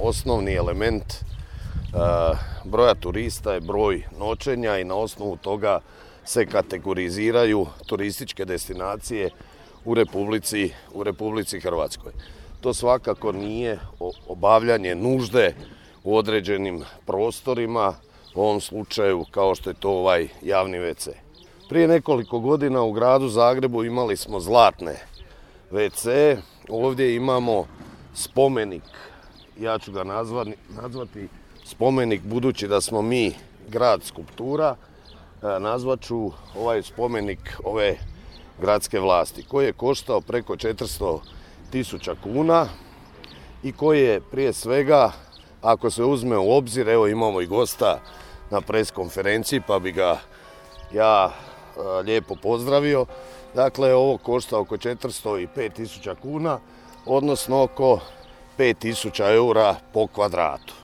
osnovni element broja turista je broj noćenja i na osnovu toga se kategoriziraju turističke destinacije u Republici Hrvatskoj. To svakako nije obavljanje nužde u određenim prostorima, u ovom slučaju kao što je to ovaj javni WC. Prije nekoliko godina u gradu Zagrebu imali smo zlatne WC, ovdje imamo spomenik, ja ću ga nazvati spomenik budući da smo mi grad skulptura, nazvat ću ovaj spomenik ove gradske vlasti koji je koštao preko 400.000 kuna i koji je prije svega, ako se uzme u obzir, evo imamo i gosta na pres konferenciji pa bi ga ja lijepo pozdravio. Dakle, ovo košta oko 405.000 kuna, odnosno oko 5.000 eura po kvadratu.